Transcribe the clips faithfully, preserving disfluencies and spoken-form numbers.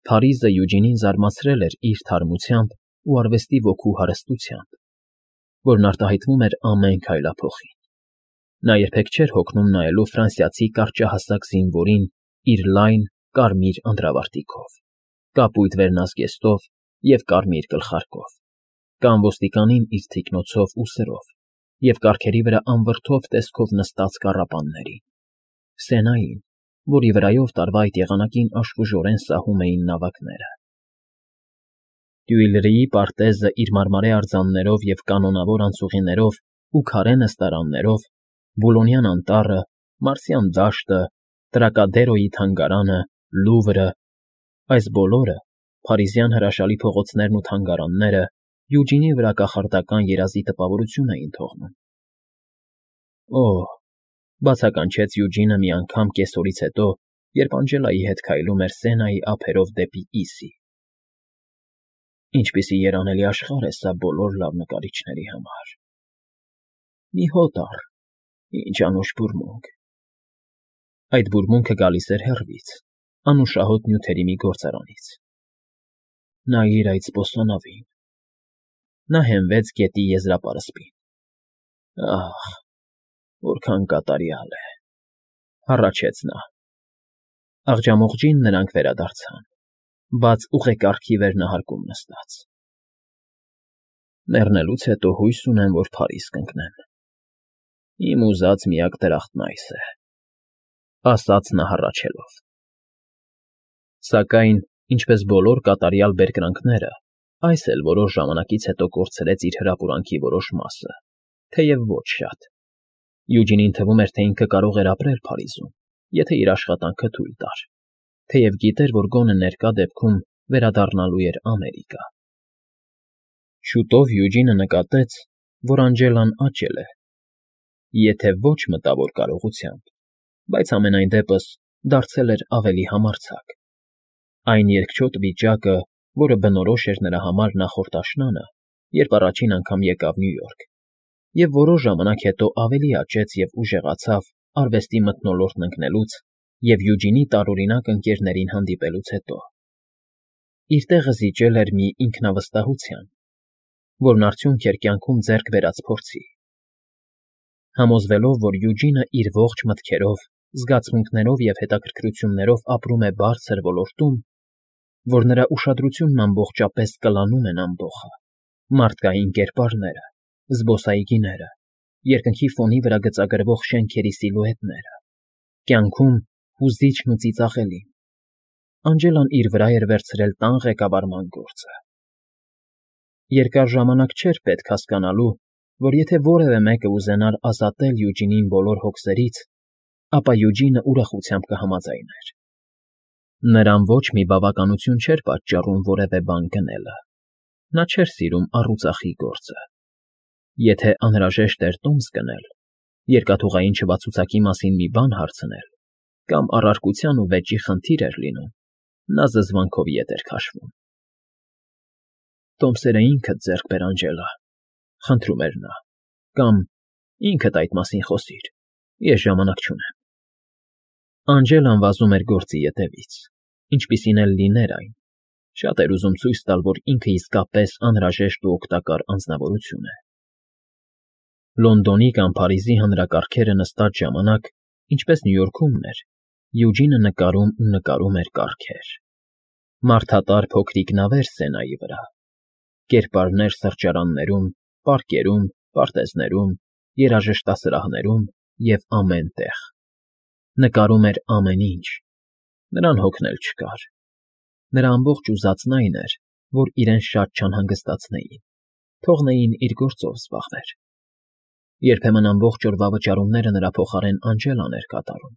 Փարիզը Յուջինին զարմացրել էր իր թարմությամբ ու արվեստի ոգու հարստությամբ, որն արտահայտվում էր ամեն քայլափոխին. նա երբեք չէր հոգնում նայելու ֆրանսիացի կարճահասակ զինվորին իր լայն, կարմիր անդրավարտիքով, կապույտ վերնազգեստով և կարմիր գլխարկով, կամ ոստիկանին իր թիկնոցով ու սրով և կառքերի վրա անվրդով տեսքով նստած կառապաններին, Սենային, որի վրայով տարվա այդ եղանակին աշխուժորեն սահում էին նավակները։ Տյուիլրիի պարտեզը իր մարմարե արձաններով և կանոնավոր անցուղիներով ու քարե նստարաններով, Բուլոնյան անտառը, Մարսյան դաշտը, Տրակադերոյի թանգարանը, Լուվրը, այս բոլորը, փարիզյան հրաշալի փողոցներն ու թանգարանները Յուջինի վրա կախարդական երազի տպավորություն էին թողնում։ Օհ, բացականչեց Յուջինը մի անգամ կեսօրից հետո, երբ Անջելայի հետ քայլում էր Սենայի ափերով դեպի Իսի։ Ինչպիսի երանելի աշխարհ է սա բոլոր լավ նկարիչների համար։ Մի հոտ առ, ինչ անուշ բուրմունք։ Այդ բուրմունքը գալիս էր հեռվից, անուշահոտ նյութերի մի գործարանից։ Նայիր այդ սպոսանավին։ Նա հենվեց գետի եզրապարսպին։ Ահ, որքան կատարյալ է, հառաչեց նա։ Աղջամուղջին նրանք վերադարձան, բաց ուղեկարգի վերնահարկում նստած։ Մեռնելուց հետո հույս ունեմ, որ Փարիզ կընկնեմ։ Իմ ուզած միակ դրախտն այս է, ասաց նա հառաչելով։ Սակայն, ինչպես բոլոր կատարյալ բերկրանքները, այս էլ որոշ ժամանակից հետո կորցրեց իր հրապուրանքի որոշ մասը, թեև ոչ շատ։ Յուջինին թվում էր, թե ինքը կարող էր ապրել Փարիզում, եթե իր աշխատանքը թույլ տար, թեև գիտեր, որ գոնե ներկա դեպքում վերադառնալու էր Ամերիկա։ Շուտով Յուջինը նկատեց, որ Անջելան աճել է, եթե ոչ մտավոր կարողությամբ, բայց ամենայն դեպս դարձել էր ավելի համարձակ։ Այն երկչոտ վիճակը, որը բնորոշ էր նրա համար նախորդ աշնանը, երբ առաջին անգամ եկավ Նյու Յորք, և որոշ ժամանակ հետո ավելի աճեց և ուժեղացավ արվեստի մթնոլորտն ընկնելուց և Յուջինի տարօրինակ ընկերներին հանդիպելուց հետո։ Իր տեղը զիջել էր մի ինքնավստահության, որն արդյունք էր կյանքում ձեռք բերած փորձի։ Համոզվելով, որ Յուջինը իր ողջ մտքերով, զգացմունքներով և հետաքրքրություններով ապրում է բարձր ոլորտում, որ նրա ուշադրությունն ամբողջապես կլանում են ամբոխը, մարդկային կերպարները, զբոսայգիները, երկնքի ֆոնի վրա գծագրվող շենքերի սիլուետները, կյանքում հուզիչն ու ծիծաղելին, Անջելան իր վրա էր վերցրել տան ղեկավարման գործը։ Երկար ժամանակ չէր պետք հասկանալու, որ եթե որևէ մեկը ուզենար ազատել Յուջինին բոլոր հոգսերից, ապա Յուջինը ուրախությամբ կհամաձայներ։ Նրան ոչ մի բավականություն չէր պատճառում որևէ բան գնելը։ Նա չէր սիրում առուծախի գործը։ Եթե անհրաժեշտ էր տոմս գնել, երկաթուղային չվացուցակի մասին մի բան հարցնել կամ առարկության ու վեճի խնդիր էր լինում, նա զզվանքով ետ էր քաշվում։ Տոմսերը ինքդ ձեռք բեր, Անջելա, խնդրում էր նա, կամ ինքդ այդ մասին խոսիր, ես ժամանակ չունեմ։ Անջելան վազում էր գործի ետևից, ինչպիսին էլ լիներ այն, շատ էր ուզում ցույց տալ, որ ինքը իսկապես անհրաժեշտ ու օգտակար անձնավորություն է։ Լոնդոնի կամ Փարիզի հանրակարգերը նստած ժամանակ, ինչպես Նյու Յորքումն էր, Յուջինը նկարում ու նկարում էր կարգեր։ Մարդատար փոքրիկ նավեր Սենայի վրա, կերպարներ սրճարաններում, պարկերում, պարտեզներում, երաժշտասրահներում և ամեն տեղ։ Նկարում էր ամեն ինչ, նրան հոգնել չկար։ Նրա ամբողջ ուզածն այն էր, որ իրեն շատ չանհանգստացնեին, թողնեին իր գործով զբաղվեր։ Երբեմն ամբողջ օրվա վճարումները նրա փոխարեն Անջելան էր կատարում։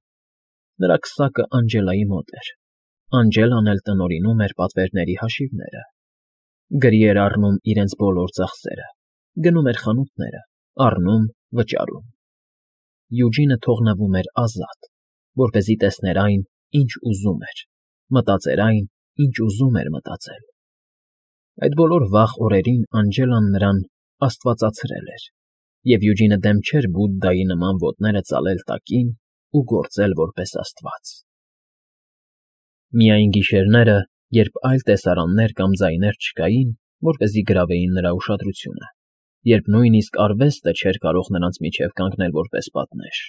Նրա քսակը Անջելայի մոտ էր, Անջելան էլ տնօրինում էր պատվերների հաշիվները, գրի էր առնում իրենց բոլոր ծախսերը, գնում էր խանութները, առնում, վճարում։ Յուջինը թողնվում էր ազատ, որպեսզի տեսներ այն, ինչ ուզում էր, մտածեր այն, ինչ ուզում էր մտածել։ Այդ բոլոր վաղ օրերին Անջելան նրան աստվածացրել էր, և Յուջինը դեմ չէր Բուդդայի նման ոտները ծալել տակին ու գործել որպես աստված։ Միայն գիշերները, երբ այլ տեսարաններ կամ ձայներ չկային, որպեսզի գրավեին նրա ուշադրությունը, երբ նույնիսկ արվեստը չէր կարող նրանց միջև կանգնել որպես պատնեշ,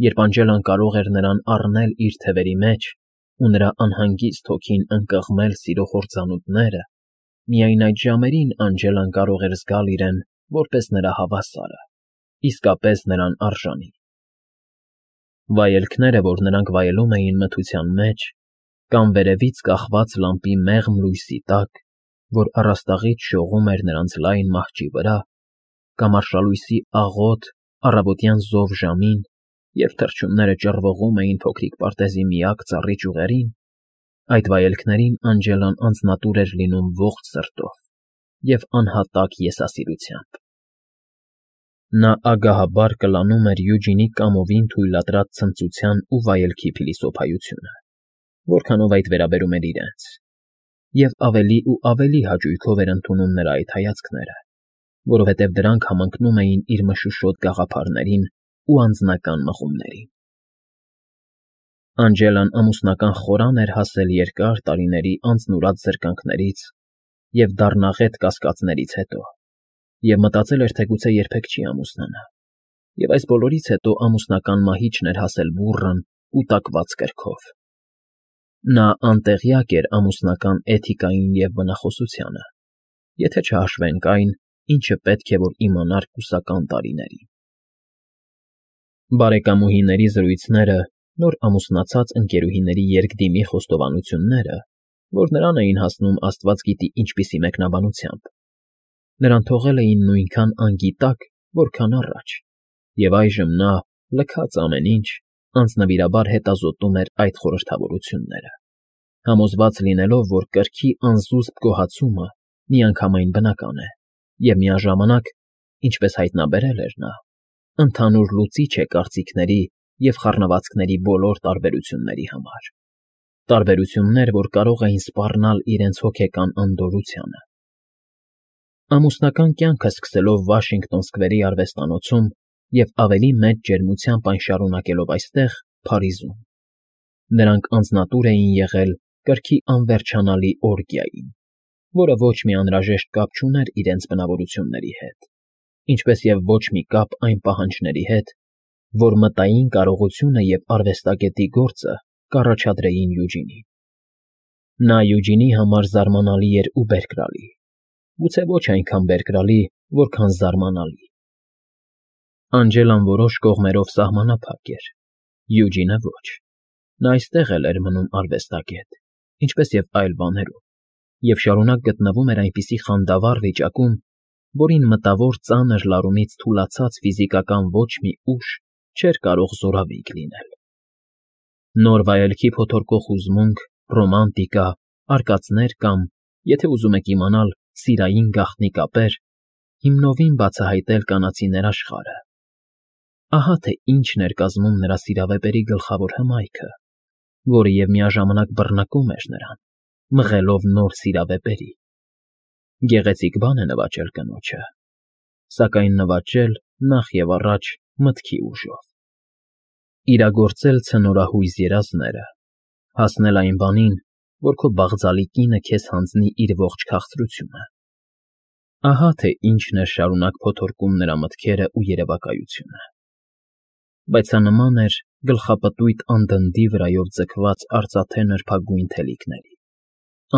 երբ Անջելան կարող էր նրան առնել իր թևերի մեջ ու նրա անհանգիստ հոգին ընկղմել սիրո խորձանուտները, միայն այդ ժամերին Անջելան կարող էր զգալ իրեն որպես նրա հավասարը, իսկապես նրան արժանի։ Վայելքները, որ նրանք վայելում էին մթության մեջ, կամ վերևից կախված լամպի մեղմ լույսի տակ, որ առաստաղից շողում էր նրանց լայն մահճի վրա, կամ արշալույսի աղոտ առավոտյան զով ժամին, երբ թռչունները ճռվողում էին փոքրիկ պարտեզի միակ ծառի ճյուղերին, այդ վայելքներին Անջելան անձնատուր էր լինում ողջ սրտով և անհատակ եսասիրությամբ։ Նա ագահաբար կլանում էր Յուջինի կամովին թույլատրած ցնծության ու վայելքի փիլիսոփայությունը, որքանով այդ վերաբերում էր իրենց, և ավելի ու ավելի հաճույքով էր ընդունում նրա այդ հայացքները, որովհետև դրանք համընկնում էին իր մշուշոտ գաղափարներին ու անձնական մղումներին։ Անջելան ամուսնական խորան էր հասել երկար տարիների անձնուրաց զրկանքներից և դառնաղետ կասկածներից հետո, և մտածել էր, թե գուցե երբեք չի ամուսնանա, և այս բոլորից հետո ամուսնական մահիճն էր հասել բուռն ու տակված կրքով։ Նա անտեղյակ էր ամուսնական էթիկային և բնախոսությանը, եթե չհաշվենք այն, ինչը պետք է որ իմանար կուսական տարիներին։ Բարեկամուհիների զրույցները, նոր ամուսնացած ընկերուհիների երկդիմի խոստովանությունները, որ նրան էին հասնում աստված գիտի ինչպիսի մեկնաբանությամբ, նրան թողել էին նույնքան անգիտակ, որքան առաջ, և այժմ նա, լքած ամեն ինչ, անձնվիրաբար հետազոտում էր այդ խորհրդավորությունները, համոզված լինելով, որ կրքի անզուսպ գոհացումը միանգամայն բնական է և միաժամանակ, ինչպես հայտնաբերել էր նա, ընդհանուր լուծիչ է կարծիքների և խառնվածքների բոլոր տարբերությունների համար, տարբերություններ, որ կարող էին սպառնալ իրենց հոգեկան անդորրությանը։ Ամուսնական կյանքը սկսելով Վաշինգտոն Սքվերի արվեստանոցում և ավելի մեծ ջերմությամբ այն շարունակելով այստեղ, Փարիզում, նրանք անձնատուր էին եղել կրքի անվերջանալի օրգիային, որը ոչ մի անհրաժեշտ կապ չուներ իրենց բնավորությունների հետ, ինչպես և ոչ մի կապ այն պահանջների հետ, որ մտային կարողությունը և արվեստագետի գործը կառաջադրեին Յուջինին։ Նա Յուջինի համար զարմանալի էր ու բերկրալի, գուցե ոչ այնքան բերկրալի, որքան զարմանալի։ Անջելան որոշ կողմերով սահմանափակ էր, Յուջինը ոչ։ Նա այստեղ էլ էր մնում արվեստագետ, ինչպես և այլ բաներում, և շարունակ գտնվում էր այնպիսի խանդավառ վիճակում, որին մտավոր ծանր լարումից թուլացած ֆիզիկական ոչ մի ուժ չէր կարող զորավիգ լինել։ Նոր վայելքի փոթորկող հուզմունք, ռոմանտիկա, արկածներ կամ, եթե ուզում եք իմանալ, սիրային գաղտնի կապեր, հիմնովին բացահայտել կանացի ներաշխարհը։ Ահա թե ինչն էր կազմում նրա սիրավեպերի գլխավոր հմայքը, որը և միաժամանակ բռնկում էր նրան, մղելով նոր սիրավեպերի։ Գեղեցիկ բան է նվաճել կնոջը, սակայն նվաճել, նախ և առաջ, մտքի ուժով, իրագործել ցնորահույզ երազները, հասնել այն բանին, որ քո բաղձալի կինը քեզ հանձնի իր ողջ քաղցրությունը։ Ահա թե ինչն էր շարունակ փոթորկում նրա մտքերը ու երևակայությունը։ Բայց սա նման էր գլխապտույտ անդնդի վրայով ձգված արծաթե նրբագույն թելիկների,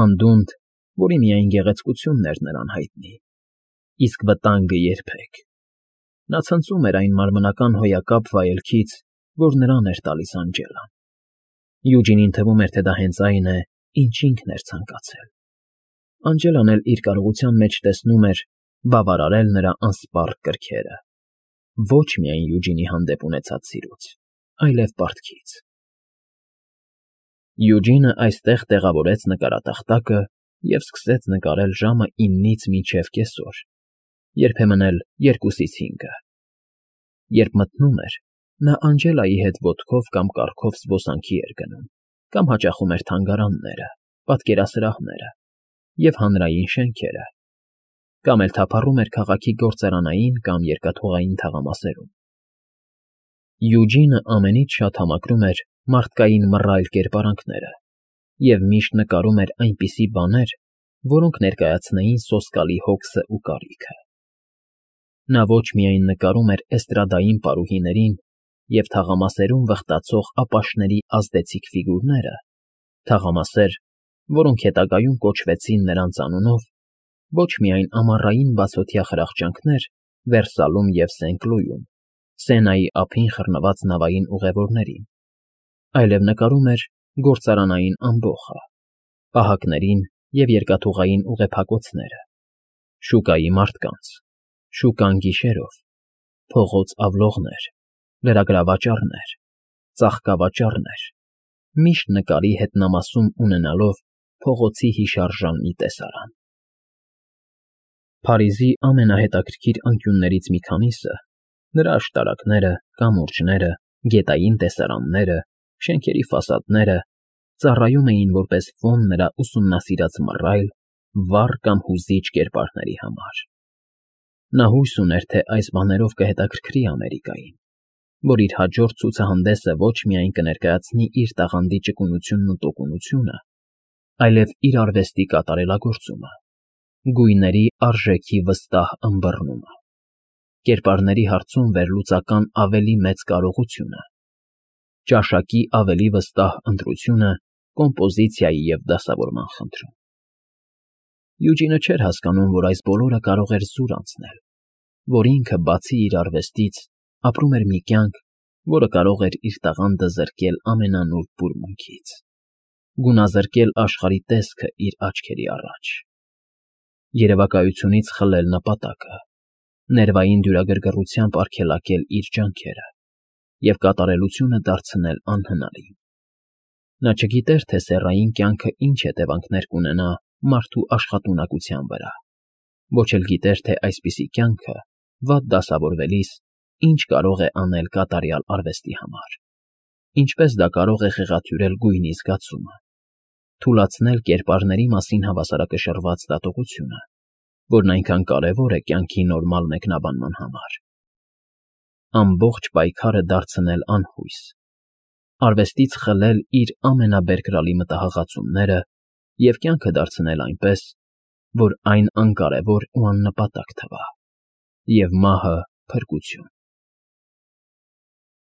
անդունդ, որի միայն գեղեցկությունն էր նրան հայտնի, իսկ վտանգը՝ երբեք։ Նա ցնծում էր այն մարմնական հոյակապ վայելքից, որ նրան էր տալիս Անջելան։ Յուջինին թվում էր, թե դա հենց այն է, ինչ ինքն էր ցանկացել։ Անջելան էլ իր կարողության մեջ տեսնում էր բավարարել նրա անսպառ կրքերը, ոչ միայն Յուջինի հանդեպ ունեցած սիրուց, այլև պարտքից։ Յուջինը այստեղ տեղավորեց նկարատախտակը և սկսեց նկարել ժամը իննից մինչև կեսօր, երբեմն էլ երկուսից հինգը։ Երբ մթնում էր, նա Անջելայի հետ ոտքով կամ կառքով զբոսանքի էր գնում կամ հաճախում էր թանգարանները, պատկերասրահները և հանրային շենքերը, կամ էլ թափառում էր քաղաքի գործարանային կամ երկաթուղային թաղամասերում։ Յուջինը ամենից շատ համակրում էր մարդկային մռայլ կերպարանքները և միշտ նկարում էր այնպիսի բաներ, որոնք ներկայացնեին սոսկալի հոգսն ու կարիքը։ Նա ոչ միայն նկարում էր էստրադային պարուհիներին և թաղամասերում վխտացող ապաշների ազդեցիկ ֆիգուրները, թաղամասեր, որոնք հետագայում կոչվեցին նրանց անունով, ոչ միայն ամառային բացօթյա խրախճանքներ Վերսալում և Սենկլույում, Սենայի ափին խռնված նավային ուղևորներին, այլև նկարում էր գործարանային ամբոխը, պահակներին և երկաթուղային ուղեփակոցները, շուկայի մարդկանց, շուկան գիշերով, փողոց ավլողներ, լրագրավաճառներ, ծաղկավաճառներ, միշտ նկարի հետնամասում ունենալով փողոցի հիշարժան մի տեսարան։ Փարիզի ամենահետաքրքիր անկյուններից մի քանիսը, նրա աշտարակները, կամուրջները, գետային տեսարանները, շենքերի ֆասադները ծառայում էին որպես ֆոն նրա ուսումնասիրած մռայլ, վառ կամ հուզիչ կերպարների համար։ Նա հույս ուներ, թե այս բաներով կհետաքրքրի Ամերիկային, որ իր հաջորդ ցուցահանդեսը ոչ միայն կներկայացնի իր տաղանդի ճկունությունն ու տոկունությունը, այլև իր արվեստի կատարելագործումը, գույների արժեքի վստահ ըմբռնումը, կերպարների հարցում վերլուծական ավելի մեծ կարողությունը, ճաշակի ավելի վստահ ընտրությունը կոմպոզիցիայի և դասավորման խնդրում։ Յուջինը չէր հասկանում, որ այս բոլորը կարող էր զուր անցնել, որ ինքը, բացի իր արվեստից, ապրում էր մի կյանք, որը կարող էր իր տաղանդը զրկել ամենանուրբ բուրմունքից, գունազրկել աշխարհի տեսքը իր աչքերի առաջ, երևակայությունից խլել նպատակը, ներվային դյուրագրգռությամբ արգելակել իր ջանքերը և կատարելությունը դարձնել անհնարին։ Նա չգիտեր, թե սեռային կյանքը ինչ հետևանքներ կունենա մարդու աշխատունակության վրա, ոչ էլ գիտեր, թե այսպիսի կյանքը, վատ դասավորվելիս, ինչ կարող է անել կատարյալ արվեստի համար, ինչպես դա կարող է խեղաթյուրել գույնի զգացումը, թուլացնել կերպարների մասին հավասարակշռված դատողությունը, որն այնքան կարևոր է կյանքի նորմալ մեկնաբանման համար, ամբողջ պայքարը դարձնել անհույս, արվեստից խլել իր ամենաբերկրալի մտահղացումները և կյանքը դարձնել այնպես, որ այն անկարևոր ու աննպատակ թվա, և մահը՝ փրկություն։